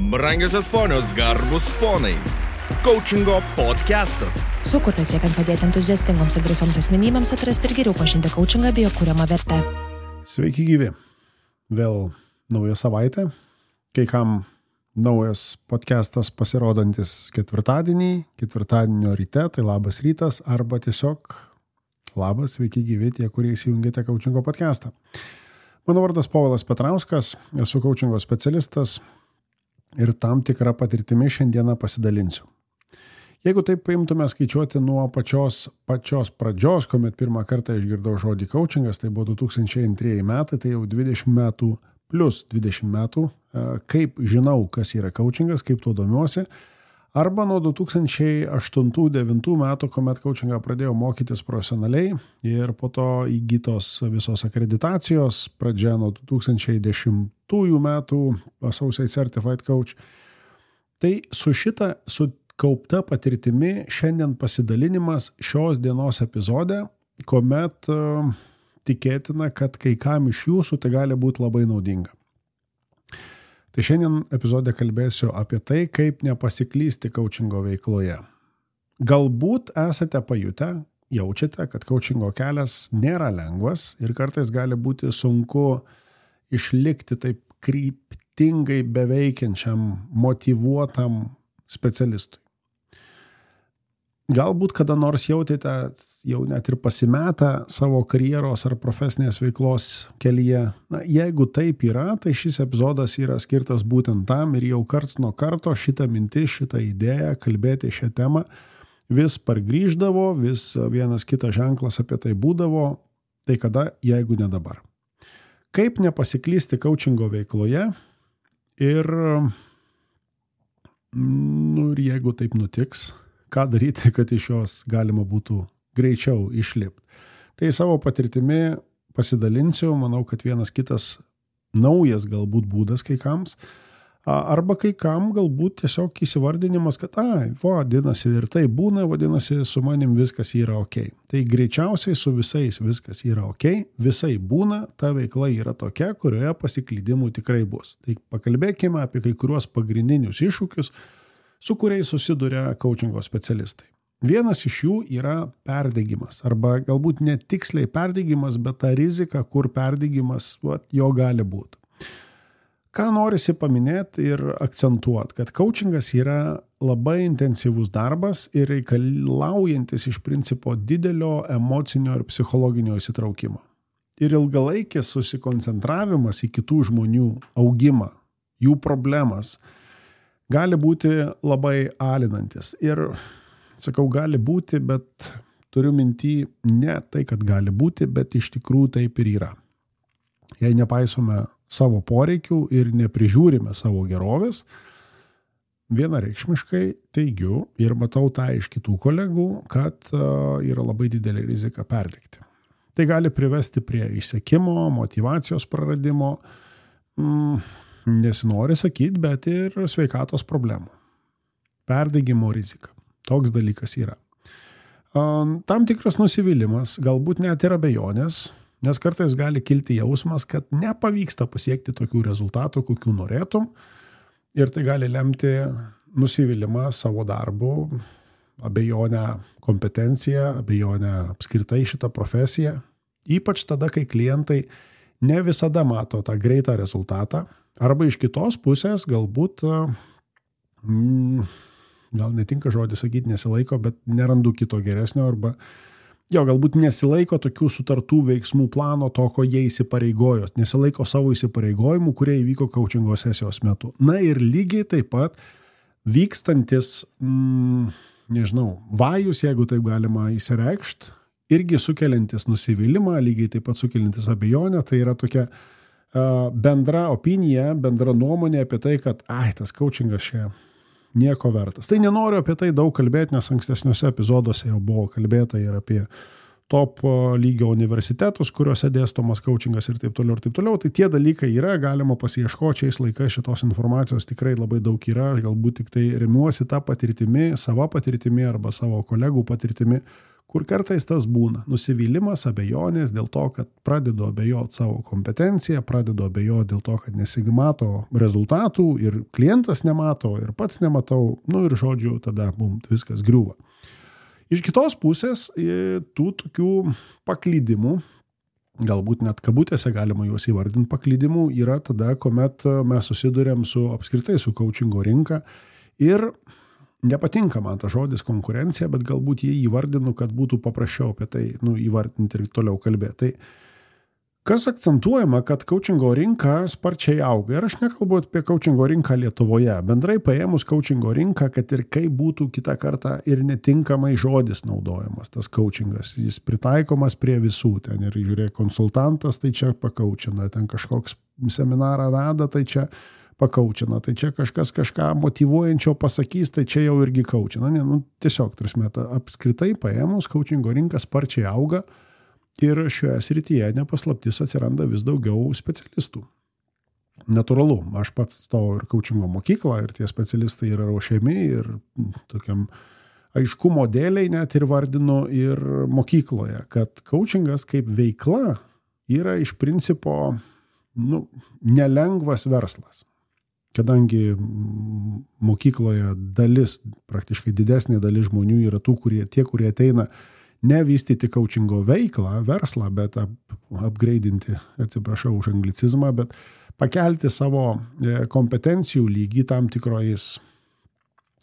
Brangiosios ponios, garbus ponai. Coachingo podcastas. Sukurtas siekiant padėti entuziastingoms ir drąsioms asmenybėms atrasti ir geriau pažinti coachingą bei jo kuriamą vertę. Sveiki gyvi. Vėl nauja savaitė. Kai kam naujas podcastas pasirodantis ketvirtadienio ryte, tai labas rytas, arba tiesiog labas, sveiki gyvi tie, kurie įsijungėte coachingo podcastą. Mano vardas Povilas Petrauskas, esu coachingo specialistas ir tam tikrą patirtimį šiandieną pasidalinsiu. Jeigu taip paimtume skaičiuoti nuo pačios pradžios, kuomet pirmą kartą išgirdau žodį coachingas, tai buvo 2002 metai, tai jau 20 metų plus 20 metų, kaip žinau, kas yra coachingas, kaip tuo domiuosi, arba nuo 2008-2009 metų, kuomet coachingą pradėjau mokytis profesionaliai ir po to įgytos visos akreditacijos, pradžia nuo 2010 metų Associate Certified Coach. Tai su kaupta patirtimi šiandien pasidalinimas šios dienos epizode, kuomet tikėtina, kad kai kam iš jūsų tai gali būti labai naudinga. Tai šiandien epizode kalbėsiu apie tai, kaip nepasiklysti coachingo veikloje. Galbūt esate pajutę, jaučiate, kad coachingo kelias nėra lengvas ir kartais gali būti sunku išlikti taip kryptingai beveikiančiam, motyvuotam specialistui. Galbūt kada nors jautėte jau net ir pasimetę savo karjeros ar profesinės veiklos kelyje. Na, jeigu taip yra, tai šis epizodas yra skirtas būtent tam ir jau karts nuo karto šitą mintį, šitą idėją kalbėti šią temą vis pargrįždavo, vis vienas kitas ženklas apie tai būdavo, tai kada, jeigu ne dabar. Kaip nepasiklysti coachingo veikloje ir jeigu taip nutiks, ką daryti, kad iš jos galima būtų greičiau išlipti. Tai savo patirtimi pasidalinsiu, manau, kad vienas kitas naujas galbūt būdas kai kams, arba kai kam galbūt tiesiog įsivardinimas, kad vadinasi ir tai būna, vadinasi su manim viskas yra ok. Tai greičiausiai su visais viskas yra ok, visai būna, ta veikla yra tokia, kurioje pasiklydimų tikrai bus. Tai pakalbėkime apie kai kuriuos pagrindinius iššūkius, su kuriais susiduria coachingo specialistai. Vienas iš jų yra perdegimas, arba galbūt netiksliai perdegimas, bet ta rizika, kur perdegimas jo gali būti. Ką norisi paminėti ir akcentuoti, kad coachingas yra labai intensyvus darbas ir reikalaujantis iš principo didelio emocinio ir psichologinio įsitraukimo. Ir ilgalaikis susikoncentravimas į kitų žmonių augimą, jų problemas, gali būti labai alinantis. Ir sakau, gali būti, bet turiu minty ne tai, kad gali būti, bet iš tikrųjų taip ir yra. Jei nepaisome savo poreikių ir neprižiūrime savo gerovės, vienareikšmiškai teigiu ir matau tą iš kitų kolegų, kad yra labai didelė rizika perdegti. Tai gali privesti prie išsekimo, motyvacijos praradimo, nesinori sakyti, bet ir sveikatos problemų. Perdegimo rizika. Toks dalykas yra. Tam tikras nusivylimas, galbūt net ir abejonės, nes kartais gali kilti jausmas, kad nepavyksta pasiekti tokių rezultatų, kokių norėtum, ir tai gali lemti nusivylimą savo darbu, abejonę kompetenciją, abejonę apskritai šitą profesiją, ypač tada, kai klientai ne visada mato tą greitą rezultatą, arba iš kitos pusės galbūt, gal netinka žodį sakyti nesilaiko, bet nerandu kito geresnio, arba galbūt nesilaiko tokių sutartų veiksmų plano, to, ko jie įsipareigojo, nesilaiko savo įsipareigojimų, kurie įvyko coachingo sesijos metu. Na ir lygiai taip pat vykstantis, vajus, jeigu taip galima įsireikšti, irgi sukeliantis nusivylimą, lygiai taip pat sukeliantis abejonę, tai yra tokia bendra opinija, bendra nuomonė apie tai, kad tas coachingas čia nieko vertas. Tai nenoriu apie tai daug kalbėti, nes ankstesniuose epizoduose jau buvo kalbėta ir apie top lygio universitetus, kuriuose dėstomas coachingas ir taip toliau ir taip toliau. Tai tie dalykai yra, galima pasiieškoti šiais laikais, šitos informacijos tikrai labai daug yra. Aš galbūt tik tai remiuosi tą patirtimi, savo patirtimi arba savo kolegų patirtimi, kur kartais tas būna. Nusivylimas, abejonės dėl to, kad pradedu abejoti savo kompetenciją, pradedu abejoti dėl to, kad nesimato rezultatų ir klientas nemato ir pats nematau, ir žodžiu, tada mums viskas griūva. Iš kitos pusės, tų tokių paklydimų, galbūt net kabutėse galima juos įvardinti paklydimų, yra tada, kuomet mes susidurėm apskritai su coachingo rinka ir nepatinka man tas žodis konkurencija, bet galbūt jį įvardinu, kad būtų paprasčiau apie tai įvardinti ir toliau kalbėti. Tai kas akcentuojama, kad coachingo rinka sparčiai auga. Ir aš nekalbu apie coachingo rinką Lietuvoje. Bendrai paėmus coachingo rinką, kad ir kaip būtų kitą kartą ir netinkamai žodis naudojamas, tas coachingas. Jis pritaikomas prie visų. Ten ir žiūrėk, konsultantas, tai čia pakaučina, ten kažkoks seminarą veda, tai čia pakaučina, tai čia kažkas kažką motyvuojančio pasakys, tai čia jau irgi kaučina. Tiesiog, apskritai paėmus, coachingo rinka sparčiai auga ir šioje srityje nepaslaptis atsiranda vis daugiau specialistų. Natūralu, aš pats atstovauju ir coachingo mokyklą ir tie specialistai yra ruošiami ir tokiam aiškumo dėliai net ir vardinu ir mokykloje, kad coachingas kaip veikla yra iš principo nelengvas verslas. Kadangi mokykloje praktiškai didesnė dalis žmonių yra tie, kurie ateina ne vystyti coachingo veiklą, verslą, bet upgrade'inti, atsiprašau už anglicizmą, bet pakelti savo kompetencijų lygį tam tikrais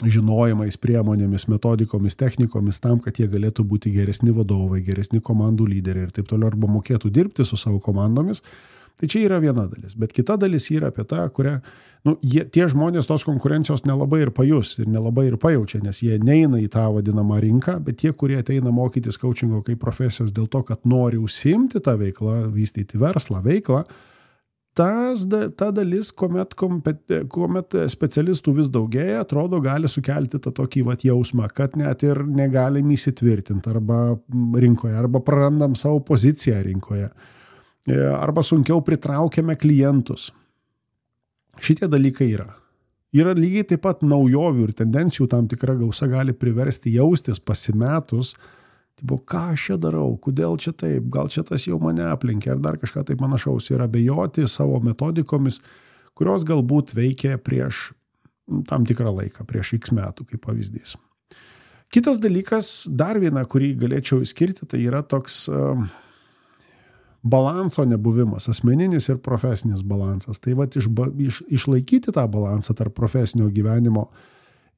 žinojimais, priemonėmis, metodikomis, technikomis tam, kad jie galėtų būti geresni vadovai, geresni komandų lyderiai ir taip toliau, arba mokėtų dirbti su savo komandomis. Tai čia yra viena dalis, bet kita dalis yra apie tą, kurią, tie žmonės tos konkurencijos nelabai ir pajus ir nelabai ir pajaučia, nes jie neina į tą vadinamą rinką, bet tie, kurie ateina mokytis coachingo kaip profesijos dėl to, kad nori užsiimti tą veiklą, vystyti verslą, veiklą, ta dalis, kuomet specialistų vis daugėja, atrodo, gali sukelti tą tokį jausmą, kad net ir negalim įsitvirtinti arba rinkoje, arba prarandam savo poziciją rinkoje. Arba sunkiau pritraukiame klientus. Šitie dalykai yra. Yra lygiai taip pat naujovių ir tendencijų tam tikra gausa gali priversti jaustis pasimetus, ką aš čia darau, kodėl čia taip, gal čia tas jau mane aplenkė, ar dar kažką taip panašaus, ir abejoti savo metodikomis, kurios galbūt veikia prieš tam tikrą laiką, prieš X metų, kaip pavyzdys. Kitas dalykas, dar viena, kurį galėčiau išskirti, tai yra toks balanso nebuvimas, asmeninis ir profesinis balansas. Tai išlaikyti tą balansą tarp profesinio gyvenimo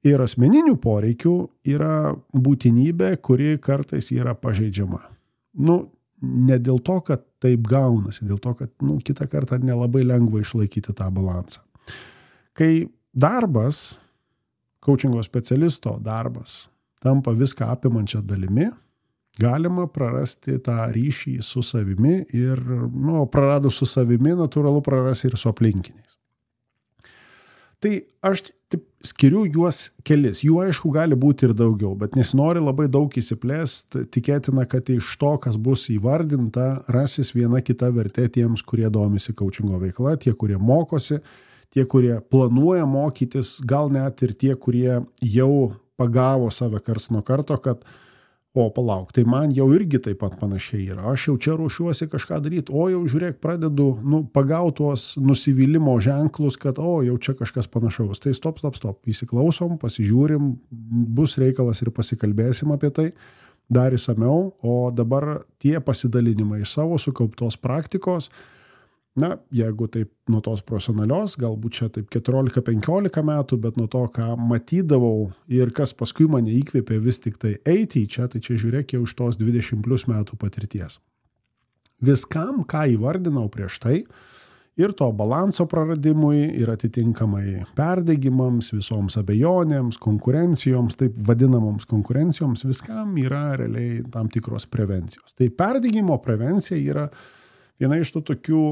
ir asmeninių poreikių yra būtinybė, kuri kartais yra pažeidžiama. Ne dėl to, kad taip gaunasi, dėl to, kad kitą kartą nelabai lengva išlaikyti tą balansą. Kai darbas, coachingo specialisto darbas, tampa viską apimančią dalimi, galima prarasti tą ryšį su savimi ir, praradus su savimi, natūralu prarasti ir su aplinkiniais. Tai aš skiriu juos kelis. Jų aišku gali būti ir daugiau, bet nesinori labai daug įsiplėsti. Tikėtina, kad iš to, kas bus įvardinta, rasis viena kita vertė tiems, kurie domisi coachingo veikla, tie, kurie mokosi, tie, kurie planuoja mokytis, gal net ir tie, kurie jau pagavo save karts nuo karto, kad palauk, tai man jau irgi taip pat panašiai yra. Aš jau čia ruošiuosi kažką daryti, jau žiūrėk, pradedu pagauti tuos nusivylimo ženklus, kad jau čia kažkas panašaus. Tai stop, įsiklausom, pasižiūrim, bus reikalas ir pasikalbėsim apie tai dar įsamiau, o dabar tie pasidalinimai iš savo sukauptos praktikos, jeigu taip nuo tos profesionalios, galbūt čia taip 14-15 metų, bet nuo to, ką matydavau ir kas paskui mane įkvėpė vis tik tai eiti į čia, tai čia žiūrėk jau iš tos 20+ metų patirties. Viskam, ką įvardinau prieš tai, ir to balanso praradimui, ir atitinkamai perdegimams, visoms abejonėms, konkurencijoms, taip vadinamoms konkurencijoms, viskam yra realiai tam tikros prevencijos. Tai perdegimo prevencija yra viena iš tų tokių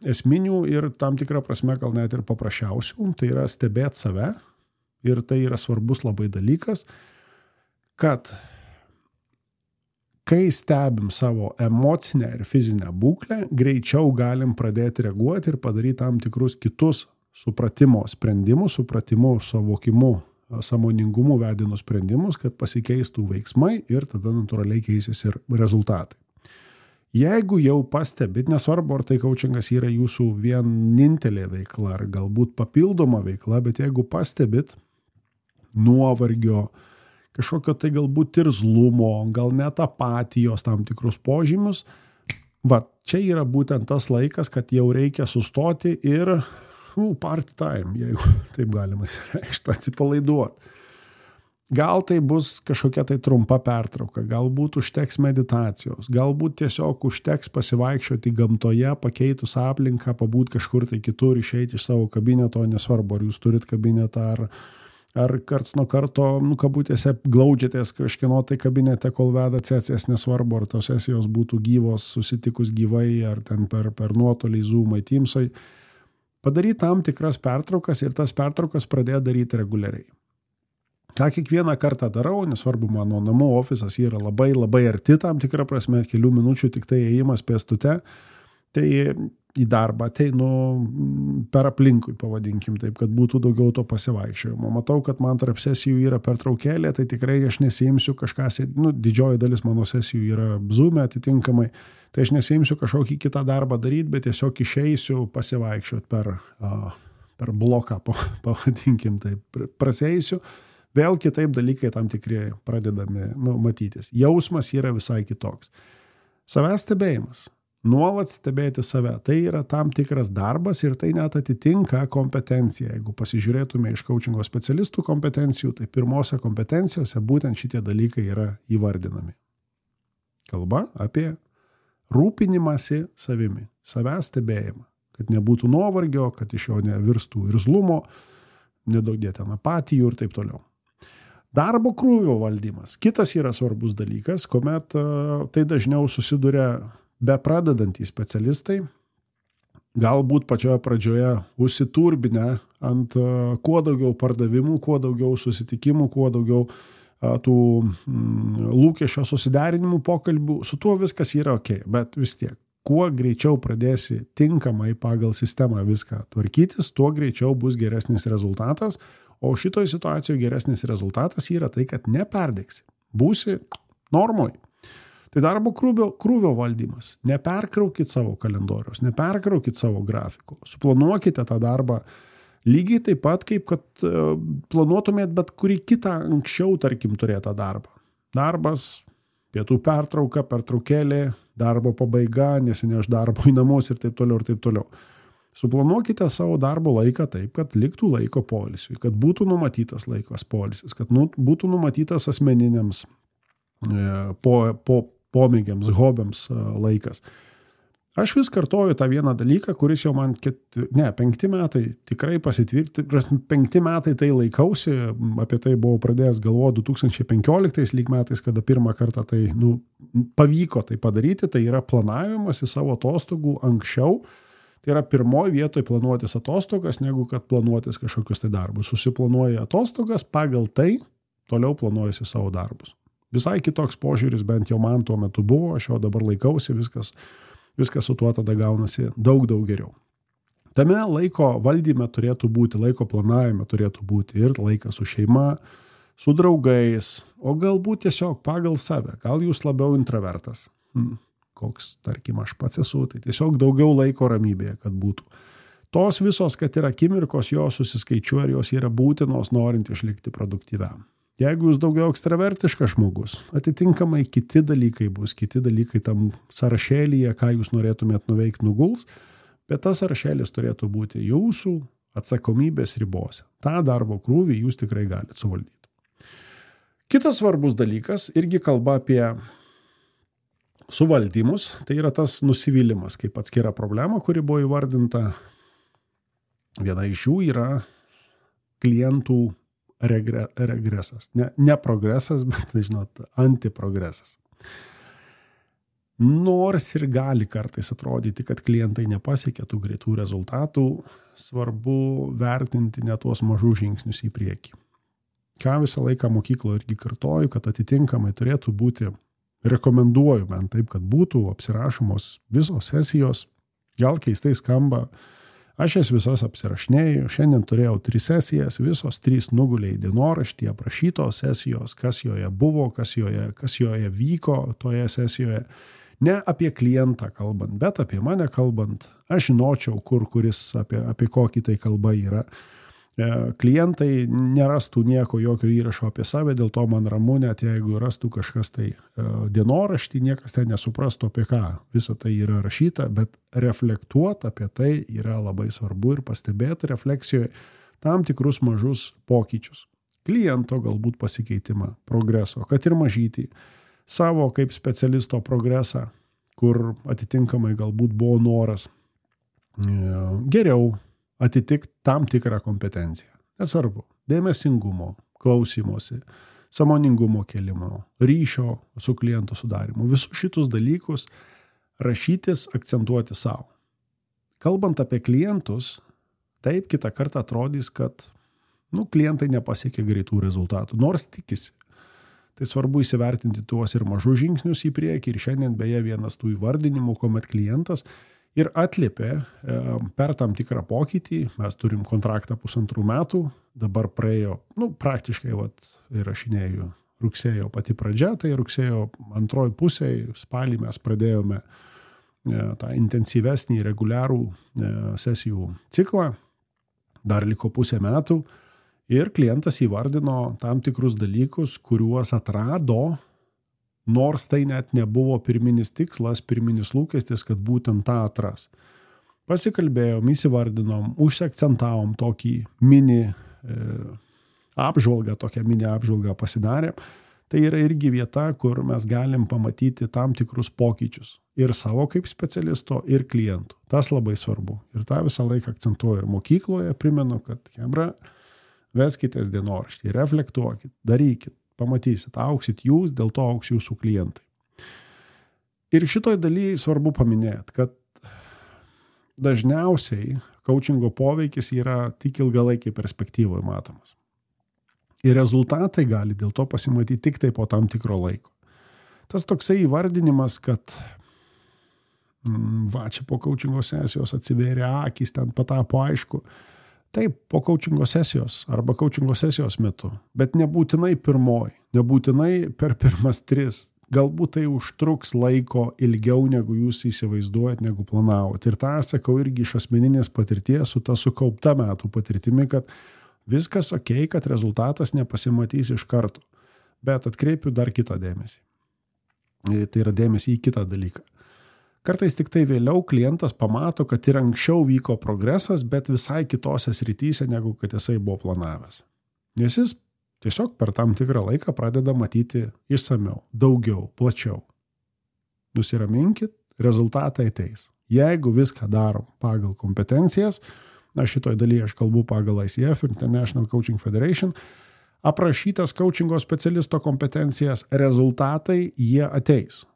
esminių ir tam tikrą prasme gal net ir paprasčiausių, tai yra stebėti save, ir tai yra svarbus labai dalykas, kad kai stebim savo emocinę ir fizinę būklę, greičiau galim pradėti reaguoti ir padaryti tam tikrus kitus supratimo sprendimus, supratimo suvokimu sąmoningumu vedinus sprendimus, kad pasikeistų veiksmai ir tada natūraliai keisis ir rezultatai. Jeigu jau pastebit, nesvarbu, ar tai coachingas yra jūsų vienintelė veikla, ar galbūt papildoma veikla, bet jeigu pastebit nuovargio, kažkokio tai galbūt irzlumo, gal net apatijos tam tikrus požymius, čia yra būtent tas laikas, kad jau reikia sustoti ir party time, jeigu taip galima įsireikšti, atsipalaiduoti. Gal tai bus kažkokia tai trumpa pertrauka, galbūt užteks meditacijos, galbūt tiesiog užteks pasivaikščioti gamtoje, pakeitus aplinką, pabūt kažkur tai kitur, išeiti iš savo kabineto, nesvarbu, ar jūs turit kabinetą, ar karts nuo karto, kabutėse, glaudžiatės kažkieno tai kabinete, kol veda sesijas, nesvarbu, ar tos sesijos būtų gyvos, susitikus gyvai, ar ten per nuotolį, Zoom'ai, Teams'ai. Padaryti tam tikras pertraukas ir tas pertraukas pradėti daryti reguliariai. Ką kiekvieną kartą darau, nesvarbu, mano namų ofisas yra labai labai arti tam tikrą prasme, kelių minučių tik tai ėjimas pėstute, tai į darbą ateinu per aplinkui, pavadinkim taip, kad būtų daugiau to pasivaikščiojimo. Matau, kad man tarp sesijų yra pertraukėlė, tai tikrai aš nesiimsiu didžioji dalis mano sesijų yra Zoom'e atitinkamai, tai aš nesiimsiu kažkokį kitą darbą daryti, bet tiesiog išeisiu pasivaikščioti per bloką, pavadinkim taip, praseisiu. Vėl kitaip dalykai tam tikri pradedami matytis. Jausmas yra visai kitoks. Savęs stebėjimas. Nuolat stebėti save. Tai yra tam tikras darbas ir tai net atitinka kompetenciją. Jeigu pasižiūrėtume iš coachingo specialistų kompetencijų, tai pirmose kompetencijose būtent šitie dalykai yra įvardinami. Kalba apie rūpinimąsi savimi. Savęs stebėjimą. Kad nebūtų nuovargio, kad iš jo nevirstų irzlumo, nedaugdė ten apatijų ir taip toliau. Darbo krūvio valdymas. Kitas yra svarbus dalykas, kuomet tai dažniau susiduria bepradedantys specialistai, galbūt pačioje pradžioje užsiturbinę ant kuo daugiau pardavimų, kuo daugiau susitikimų, kuo daugiau tų lūkesčio susiderinimų pokalbių. Su tuo viskas yra ok, bet vis tiek. Kuo greičiau pradėsi tinkamai pagal sistemą viską tvarkytis, tuo greičiau bus geresnis rezultatas. O šitoj situacijoje geresnis rezultatas yra tai, kad neperdegsi. Būsi normoj. Tai darbo krūvio valdymas. Neperkraukit savo kalendoriaus, neperkraukit savo grafiko. Suplanuokite tą darbą lygiai taip pat, kaip kad planuotumėt bet kurį kitą anksčiau, tarkim, turėtą darbą. Darbas, pietų pertrauka, pertraukėlė, darbo pabaiga, nesineš darbo į namus ir taip toliau ir taip toliau. Suplanuokite savo darbo laiką taip, kad liktų laiko poilsiui, kad būtų numatytas laikas poilsis, kad būtų numatytas asmeniniams pomėgiams, hobiams laikas. Aš vis kartoju tą vieną dalyką, kuris jau man 5 metai tikrai pasitvirti, 5 metai tai laikausi, apie tai buvau pradėjęs galvoti 2015 metais, kada pirmą kartą tai pavyko tai padaryti, tai yra planavimas į savo atostogų anksčiau. Tai yra pirmoji vietoje planuotis atostogas, negu kad planuotis kažkokius tai darbus. Susiplanuoji atostogas, pagal tai toliau planuojasi savo darbus. Visai kitoks požiūris, bent jau man tuo metu buvo, aš jau dabar laikausi, viskas su tuo tada gaunasi daug geriau. Tame laiko valdyme turėtų būti, laiko planavime turėtų būti ir laikas su šeima, su draugais, o galbūt tiesiog pagal save. Gal jūs labiau intravertas. Koks, tarkim, aš pats esu, tai tiesiog daugiau laiko ramybėje, kad būtų. Tos visos, kad yra akimirkos, jos susiskaičiuoja ir jos yra būtinos, norint išlikti produktyviam. Jeigu jūs daugiau ekstravertiškas žmogus, atitinkamai kiti dalykai tam sąrašėlyje, ką jūs norėtumėt nuveikti, nuguls, bet tas sąrašėlis turėtų būti jūsų atsakomybės ribose. Ta darbo krūvį jūs tikrai galite suvaldyti. Kitas svarbus dalykas, irgi kalba apie suvaldymus, tai yra tas nusivylimas, kaip atskira problema, kuri buvo įvardinta. Viena iš jų yra klientų regresas. Ne progresas, bet, antiprogresas. Nors ir gali kartais atrodyti, kad klientai nepasiekia tų greitų rezultatų, svarbu vertinti ne tuos mažus žingsnius į priekį. Ką visą laiką mokykloje irgi kartoju, kad atitinkamai turėtų būti, rekomenduoju bent taip, kad būtų apsirašomos visos sesijos, gal keistai skamba, Aš jas visas apsirašinėjau, šiandien turėjau 3 sesijas, visos 3 nugulė į dienoraštį, aprašytos sesijos, kas joje buvo, kas joje vyko toje sesijoje. Ne apie klientą kalbant, bet apie mane kalbant, aš žinočiau, apie kokį tai kalba yra. Klientai nerastų nieko, jokio įrašo apie save, dėl to man ramu, net jeigu rastų kažkas tai dienoraštį, niekas ten nesuprastų apie ką. Visa tai yra rašyta, bet reflektuoti apie tai yra labai svarbu ir pastebėti refleksijoje tam tikrus mažus pokyčius. Kliento galbūt pasikeitimą, progreso, kad ir mažytį, savo kaip specialisto progresą, kur atitinkamai galbūt buvo noras geriau atitikti tam tikrą kompetenciją. Nesvarbu, dėmesingumo, klausimosi, sąmoningumo kelimo, ryšio su kliento sudarimu. Visus šitus dalykus rašytis, akcentuoti savo. Kalbant apie klientus, taip kitą kartą atrodys, kad klientai nepasiekia greitų rezultatų, nors tikisi. Tai svarbu įsivertinti tuos ir mažus žingsnius į priekį ir šiandien beje vienas tų įvardinimų, kuomet klientas ir atliepė per tam tikrą pokytį. Mes turim kontraktą 1,5 metų, dabar praėjo, praktiškai įrašinėjau rugsėjo pati pradžia, tai rugsėjo antroji pusėje, spalį mes pradėjome tą intensyvesnį reguliarų sesijų ciklą, dar liko 0,5 metų ir klientas įvardino tam tikrus dalykus, kuriuos atrado, nors tai net nebuvo pirminis tikslas, pirminis lūkestis, kad būtent tą atras. Pasikalbėjom, įsivardinom, užsiakcentavom tokį mini apžvalgą pasidarė. Tai yra irgi vieta, kur mes galim pamatyti tam tikrus pokyčius. Ir savo kaip specialisto, ir klientų. Tas labai svarbu. Ir tą visą laiką akcentuoju ir mokykloje. Primenu, kad chebra, veskitės dienoraštį, reflektuokit, darykit. Pamatysit, auksit jūs, dėl to auks jūsų klientai. Ir šitoj dalyje svarbu paminėti, kad dažniausiai coachingo poveikis yra tik ilgalaikiai perspektyvoje matomas. Ir rezultatai gali dėl to pasimatyti tik tai po tam tikro laiko. Tas toksai įvardinimas, kad čia po coachingo sesijos atsivėrė akys, ten patapo aišku. Taip, po coachingo sesijos arba coachingo sesijos metu, bet nebūtinai pirmoji, nebūtinai per pirmas 3. Galbūt tai užtruks laiko ilgiau, negu jūs įsivaizduojat, negu planavot. Ir tą sakau irgi iš asmeninės patirties, su ta sukaupta metų patirtimi, kad viskas okei, kad rezultatas nepasimatys iš karto. Bet atkreipiu dar kitą dėmesį. Tai yra dėmesį į kitą dalyką. Kartais tik tai vėliau klientas pamato, kad ir anksčiau vyko progresas, bet visai kitose srityse, negu kad jisai buvo planavęs. Nes jis tiesiog per tam tikrą laiką pradeda matyti išsamiau, daugiau, plačiau. Nusiraminkit, rezultatai ateis. Jeigu viską darom pagal kompetencijas, šitoj dalyje aš kalbu pagal ICF, International Coaching Federation, aprašytas coachingo specialisto kompetencijas, rezultatai jie ateis.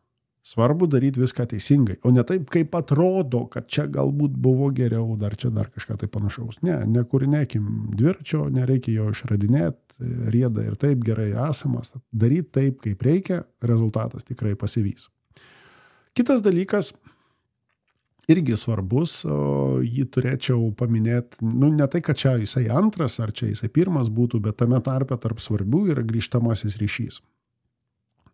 Svarbu daryti viską teisingai, o ne taip, kaip atrodo, kad čia galbūt buvo geriau, dar kažką tai panašaus. Nekūrinėkim dviračio, nereikia jo išradinėti, rieda ir taip gerai esamas. Daryti taip, kaip reikia, rezultatas tikrai pasivys. Kitas dalykas, irgi svarbus, jį turėčiau paminėti, ne tai, kad čia jisai antras, ar čia jisai pirmas būtų, bet tame tarpe tarp svarbių yra grįžtamasis ryšys.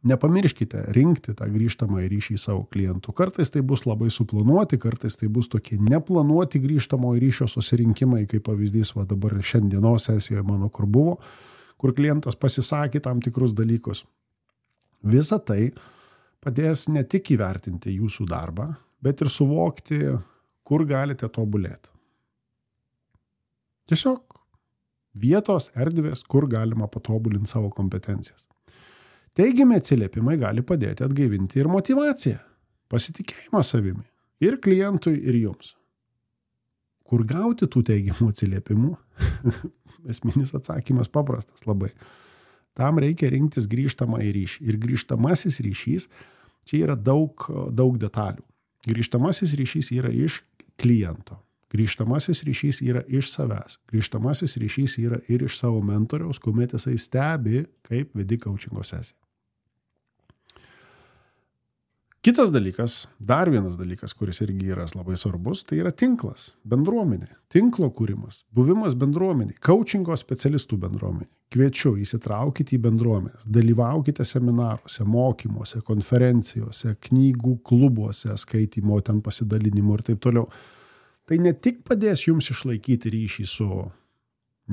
Nepamirškite rinkti tą grįžtamąjį ryšį savo klientų. Kartais tai bus labai suplanuoti, kartais tai bus tokie neplanuoti grįžtamojo ryšio susirinkimai, kaip pavyzdys dabar šiandienos sesijoje mano kur buvo, kur klientas pasisakė tam tikrus dalykus. Visa tai padės ne tik įvertinti jūsų darbą, bet ir suvokti, kur galite tobulėti. Tiesiog vietos, erdvės, kur galima patobulinti savo kompetencijas. Teigiami atsiliepimai gali padėti atgaivinti ir motyvaciją, pasitikėjimą savimi, ir klientui, ir jums. Kur gauti tų teigiamų atsiliepimų? Esminis atsakymas paprastas labai. Tam reikia rinktis grįžtamąjį ryšį. Ir grįžtamasis ryšys, čia yra daug detalių. Grįžtamasis ryšys yra iš kliento. Grįžtamasis ryšys yra iš savęs. Grįžtamasis ryšys yra ir iš savo mentoriaus, kuomet jisai stebi, kaip vedi coachingo sesiją. Kitas dalykas, dar vienas dalykas, kuris irgi yra labai svarbus, tai yra tinklas, bendruomenė, tinklo kūrimas, buvimas bendruomeniai, coachingo specialistų bendruomeniai. Kviečiu, įsitraukite į bendruomenės, dalyvaukite seminaruose, mokymuose, konferencijose, knygų klubuose, skaitymo, ten pasidalinimo ir taip toliau. Tai ne tik padės jums išlaikyti ryšį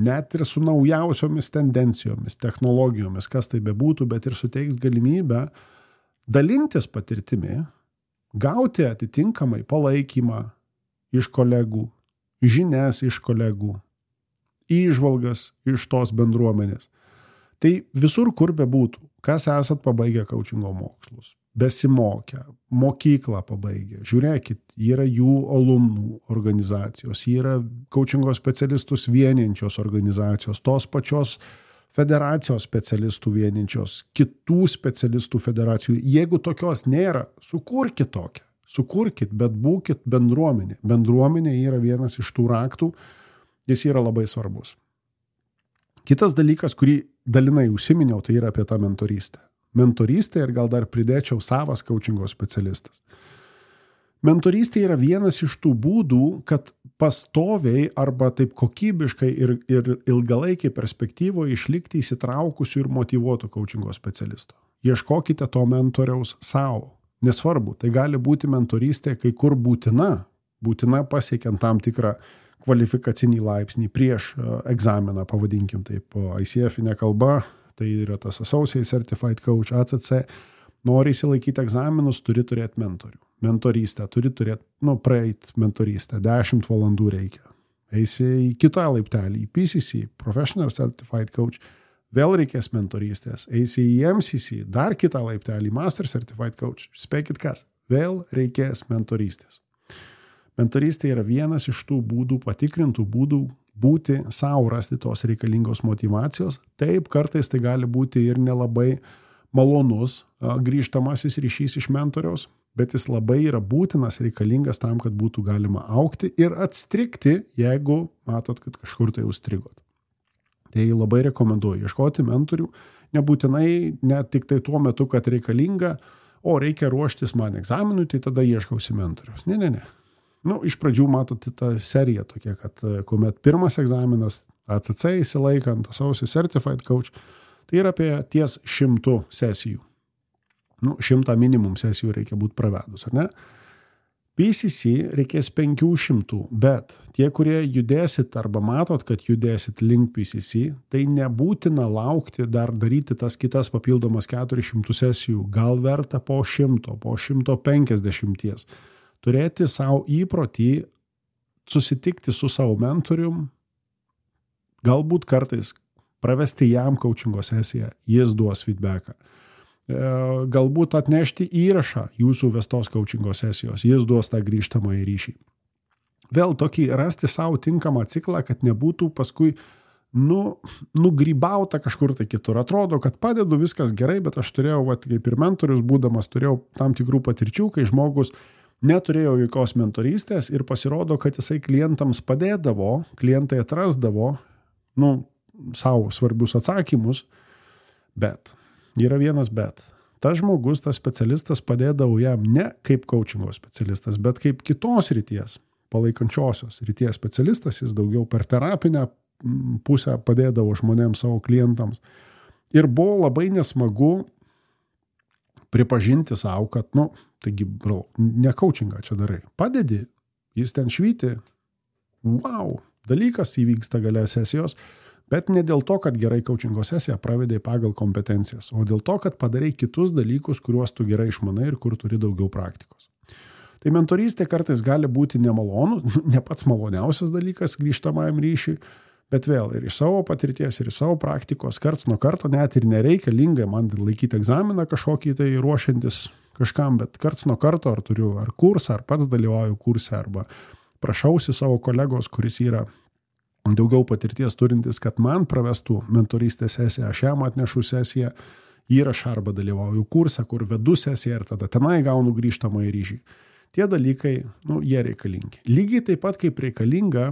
net ir su naujausiomis tendencijomis, technologijomis, kas tai bebūtų, bet ir suteiks galimybę dalintis patirtimi, gauti atitinkamai palaikymą iš kolegų, žinias iš kolegų, įžvalgas iš tos bendruomenės. Tai visur, kur bebūtų, kas esat pabaigę coachingo mokslus, besimokę, mokyklą pabaigę, žiūrėkit, yra jų alumnų organizacijos, yra coachingo specialistus vieniančios organizacijos, tos pačios federacijos specialistų vieninčios, kitų specialistų federacijų. Jeigu tokios nėra, sukurkit tokią. Sukurkit, bet būkit bendruomenė. Bendruomenė yra vienas iš tų raktų, jis yra labai svarbus. Kitas dalykas, kurį dalinai užsiminiau, tai yra apie tą mentorystę. Mentorystė ir gal dar pridėčiau savas coachingo specialistas. Mentorystė yra vienas iš tų būdų, kad pastoviai arba taip kokybiškai ir ilgalaikiai perspektyvoje išlikti įsitraukusių ir motyvuotų coachingo specialistų. Ieškokite to mentoriaus savo. Nesvarbu, tai gali būti mentorystė kai kur būtina pasiekiant tam tikrą kvalifikacinį laipsnį prieš egzaminą, pavadinkim taip, ICF-inė kalba, tai yra tas Associate Certified Coach, ACC. Nori įsilaikyti egzaminus, turi turėti mentorių. Mentorystę, turi turėti, praeit mentorystę, 10 valandų reikia. Eisi į kitą laiptelį, į PCC, Professional Certified Coach, vėl reikės mentorystės. Eisi į MCC, dar kitą laiptelį, Master Certified Coach. Spėkit kas, vėl reikės mentorystės. Mentorystė yra vienas iš tų būdų, patikrintų būdų būti savo, rasti tos reikalingos motyvacijos. Taip, kartais tai gali būti ir nelabai malonus grįžtamasis ryšys iš mentoriaus, bet jis labai yra būtinas, reikalingas tam, kad būtų galima augti ir atstrigti, jeigu matot, kad kažkur tai užstrigot. Tai labai rekomenduoju ieškoti mentorių, nebūtinai net tik tai tuo metu, kad reikalinga, reikia ruoštis man egzaminui, tai tada ieškausi mentoriaus. Ne. Iš pradžių matote tą seriją tokia, kad kuomet pirmas egzaminas ACC įsilaikant, Associate Certified Coach, tai yra apie ties 100 sesijų. 100 minimum sesijų reikia būti pravedus, ar ne? PCC reikės 500, bet tie, kurie judėsit arba matot, kad judėsit link PCC, tai nebūtina laukti dar daryti tas kitas papildomas 400 sesijų, gal verta po 100, po 150. Turėti savo įprotį, susitikti su savo mentorium, galbūt kartais pravesti jam coachingo sesiją, jis duos feedbacką. Galbūt atnešti įrašą jūsų vestos coachingo sesijos, jis duos tą grįžtamą į ryšį. Vėl tokį rasti savo tinkamą ciklą, kad nebūtų paskui nugrybauta kažkur tai kitur. Atrodo, kad padedu viskas gerai, bet aš turėjau, kaip ir mentorius būdamas, turėjau tam tikrų patirčių, kai žmogus neturėjo jokios mentorystės ir pasirodo, kad jisai klientams padėdavo, klientai atrasdavo, savo svarbius atsakymus, bet yra vienas bet. Tas žmogus, tas specialistas padėdavo jam ne kaip coachingo specialistas, bet kaip kitos ryties, palaikančiosios ryties specialistas, jis daugiau per terapinę pusę padėdavo žmonėms, savo klientams. Ir buvo labai nesmagu pripažinti savo, kad, taigi, ne coachingą čia darai. Padedi, jis ten švyti, dalykas įvyksta gale sesijos, bet ne dėl to, kad gerai coachingo sesiją pravedai pagal kompetencijas, o dėl to, kad padarai kitus dalykus, kuriuos tu gerai išmanai ir kur turi daugiau praktikos. Tai mentorystė kartais gali būti nemalonu, ne pats maloniausias dalykas grįžtamajam ryšiui, bet vėl ir iš savo patirties, ir iš savo praktikos, karts nuo karto net ir nereikalinga man laikyti egzaminą kažkokį tai ruošiantis kažkam, bet karts nuo karto ar turiu ar kursą, ar pats dalyvauju kurse, arba prašausi savo kolegos, kuris yra daugiau patirties turintis, kad man pravestų mentorystės sesiją, aš jam atnešu sesiją, įrašą arba dalyvauju kursą, kur vedu sesiją ir tada tenai gaunu grįžtamą į ryšį. Tie dalykai, jie reikalingi. Lygiai taip pat kaip reikalinga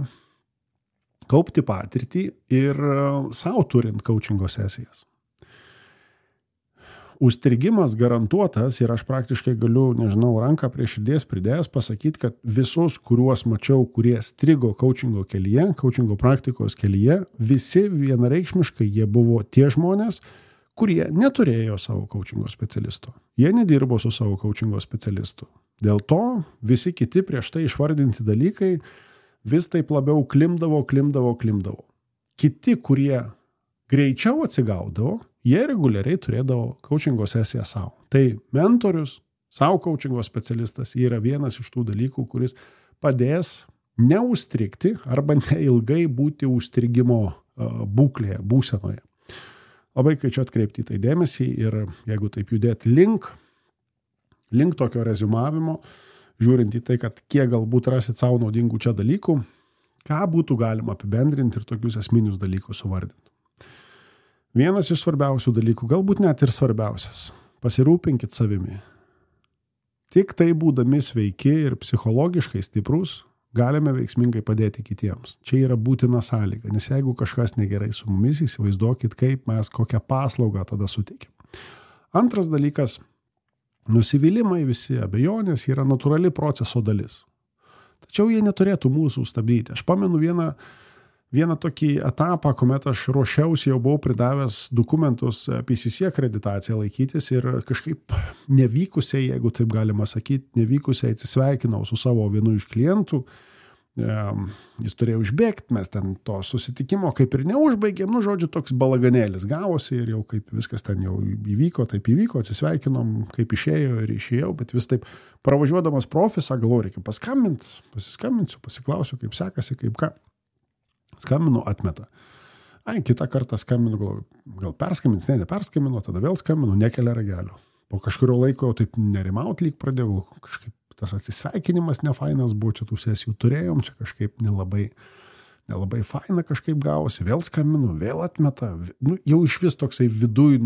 kaupti patirtį ir savo turint coachingo sesijas. užstrigimas garantuotas ir aš praktiškai galiu, nežinau, ranką prie širdies pridėjęs pasakyti, kad visus, kuriuos mačiau, kurie strigo coachingo kelyje, coachingo praktikos kelyje, visi vienareikšmiškai jie buvo tie žmonės, kurie neturėjo savo coachingo specialisto. Jie nedirbo su savo coachingo specialistu. Dėl to visi kiti prieš tai išvardinti dalykai vis taip labiau klimdavo. Kiti, kurie greičiau atsigaudavo, jie reguliariai turėdavo coachingo sesiją savo. Tai mentorius, savo coachingo specialistas yra vienas iš tų dalykų, kuris padės neužstrigti arba neilgai būti užstrigimo būklėje, būsenoje. Labai kviečiu atkreipti į tai dėmesį ir jeigu taip judėti link tokio rezumavimo, žiūrint į tai, kad kiek galbūt rasit savo naudingų čia dalykų, ką būtų galima apibendrinti ir tokius esminius dalykus suvardinti. Vienas iš svarbiausių dalykų, galbūt net ir svarbiausias, pasirūpinkit savimi. Tik tai būdami sveiki ir psichologiškai stiprus, galime veiksmingai padėti kitiems. Čia yra būtina sąlyga, nes jeigu kažkas negerai su mumis, įsivaizduokit, kaip mes kokią paslaugą tada suteikiam. Antras dalykas, nusivylimai, visi abejonės yra natūrali proceso dalis. Tačiau jie neturėtų mūsų stabdyti. Aš pamenu vieną tokį etapą, kuomet aš ruošiausi, jau buvau pridavęs dokumentus PCC akreditaciją laikytis ir kažkaip nevykusiai, jeigu taip galima sakyti, nevykusiai atsisveikinau su savo vienu iš klientų. Jis turėjo užbėgti, mes ten to susitikimo kaip ir neužbaigėm, žodžiu, toks balaganėlis gavosi ir jau kaip viskas ten jau įvyko, taip įvyko, atsisveikinom, kaip išėjo ir išėjau, bet vis taip pravažiuodamas profisą, galvoju, reikia pasiskambinsiu, pasiklausiu, kaip sekasi, kaip ką. Skambinu, atmeta. Kitą kartą skambinu, gal perskambins, neperskambinu, tada vėl skambinu, nekelia ragelio. Po kažkurio laiko jau taip nerimaut lyg pradėjau, kažkaip tas atsisveikinimas nefainas buvo, čia tų sesijų turėjom, čia kažkaip nelabai faina kažkaip gavosi, vėl skambinu, vėl atmeta, jau iš vis toksai viduj,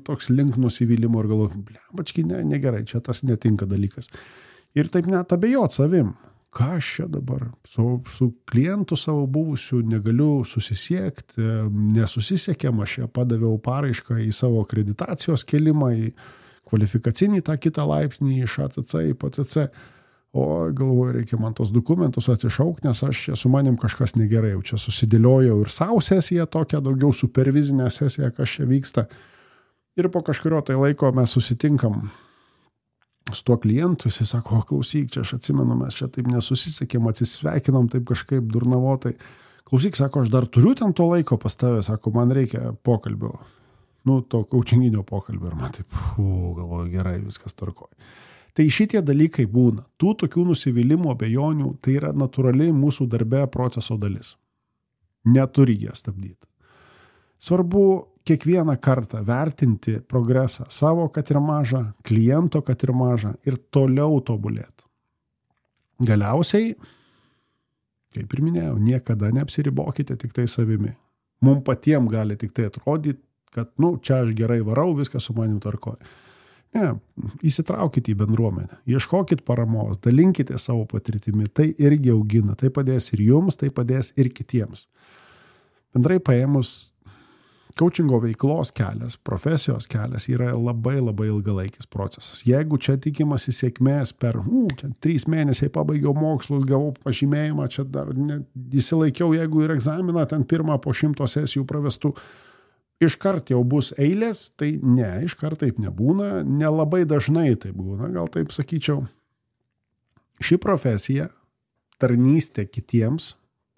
toks link nusivylimo ir galvoju, bački, negerai, čia tas netinka dalykas. Ir taip net abejot savim. Ką aš čia dabar su klientu savo buvusiu negaliu susisiekti, nesusisiekėm, aš ją padaviau paraišką į savo akreditacijos kelimą, į kvalifikacinį tą kitą laipsnį iš ACC į PCC, o galvoju, reikia man tos dokumentus atsišaukti, nes aš čia su manim kažkas negerai, jau čia susidėliojau ir savo sesiją tokią, daugiau supervizinę sesiją, kas čia vyksta. Ir po kažkurio tai laiko mes susitinkam su tuo klientu, jis sako, klausyk, čia aš atsimenu, mes čia taip nesusisiekėm, atsisveikinom taip kažkaip durnavotai. Klausyk, sako, aš dar turiu ten to laiko pas tave, sako, man reikia pokalbio, to coachinginio pokalbio. Ir man taip, galvoju, gerai, viskas tvarkoj. Tai šitie dalykai būna. Tų tokių nusivylimų, abejonių, tai yra natūraliai mūsų darbe proceso dalis. Neturi jie stabdyti. Svarbu kiekvieną kartą vertinti progresą savo, kad ir mažą, kliento, kad ir mažą, ir toliau tobulėti. Galiausiai, kaip ir minėjau, niekada neapsiribokite tik tai savimi. Mums patiems gali tik tai atrodyti, kad, čia aš gerai varau, viskas su manim tvarkoja. Ne, įsitraukite į bendruomenę, ieškokit paramos, dalinkite savo patirtimi, tai irgi augina, tai padės ir jums, tai padės ir kitiems. Bendrai paėmus, coachingo veiklos kelias, profesijos kelias yra labai ilgalaikis procesas. Jeigu čia tikimasi sėkmės per 3 mėnesiai pabaigiau mokslus, gavau pažymėjimą, čia dar įsilaikiau, jeigu ir egzaminą ten pirmą po 100 sesijų pravestų, iškart jau bus eilės, tai ne, iškart taip nebūna, nelabai dažnai taip būna, gal taip sakyčiau. Ši profesija, tarnystė kitiems,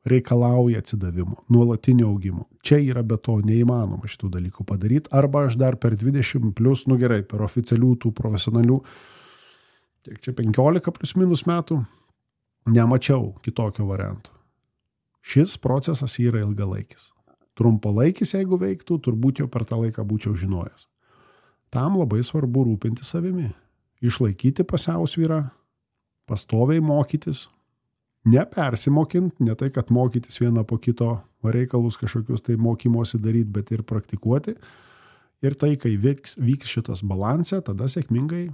reikalauja atsidavimo, nuolatinio augimo. Čia yra be to neįmanoma šitų dalykų padaryti. Arba aš dar per 20 plus, gerai, per oficialių tų profesionalių, tiek čia 15 plus minus metų, nemačiau kitokio varianto. Šis procesas yra ilgalaikis. Trumpalaikis, jeigu veiktų, turbūt jau per tą laiką būčiau žinojęs. Tam labai svarbu rūpinti savimi. Išlaikyti pusiausvyrą, pastoviai mokytis, nepersimokint, ne tai, kad mokytis vieną po kito reikalus kažkokius tai mokymosi daryti, bet ir praktikuoti. Ir tai, kai vyks šitas balansė, tada sėkmingai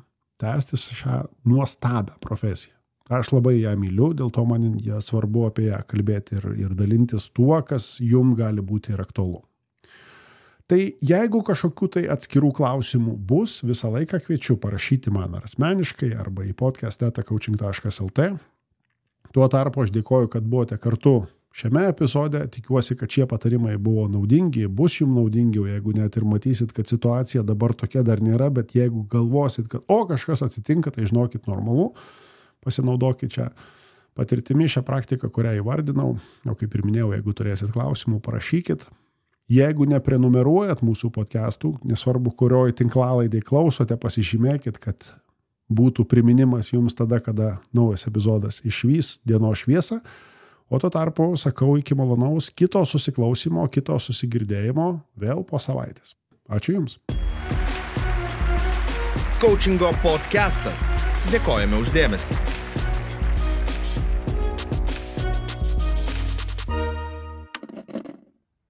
tęstis šią nuostabią profesiją. Aš labai ją myliu, dėl to man svarbu apie ją kalbėti ir dalintis tuo, kas jums gali būti ir aktualu. Tai jeigu kažkokių tai atskirų klausimų bus, visą laiką kviečiu parašyti man ar asmeniškai arba į podcast@coaching.lt. Tuo tarpu aš dėkoju, kad buvote kartu šiame epizode. Tikiuosi, kad šie patarimai buvo naudingi, bus jums naudingi, jeigu net ir matysit, kad situacija dabar tokia dar nėra, bet jeigu galvosit, kad kažkas atsitinka, tai žinokit normalu, pasinaudokit čia patirtimi šią praktiką, kurią įvardinau. O kaip ir minėjau, jeigu turėsit klausimų, parašykit. Jeigu neprenumeruojat mūsų podcastų, nesvarbu, kurioj tinklalaidėj klausote, pasižymėkit, kad būtų priminimas jums tada, kada naujas epizodas išvys dienos šviesą. O tuo tarpu sakau iki malonaus kito susiklausimo, kito susigirdėjimo vėl po savaitės. Ačiū Jums. Coachingo podcastas. Dėkojame už dėmesį.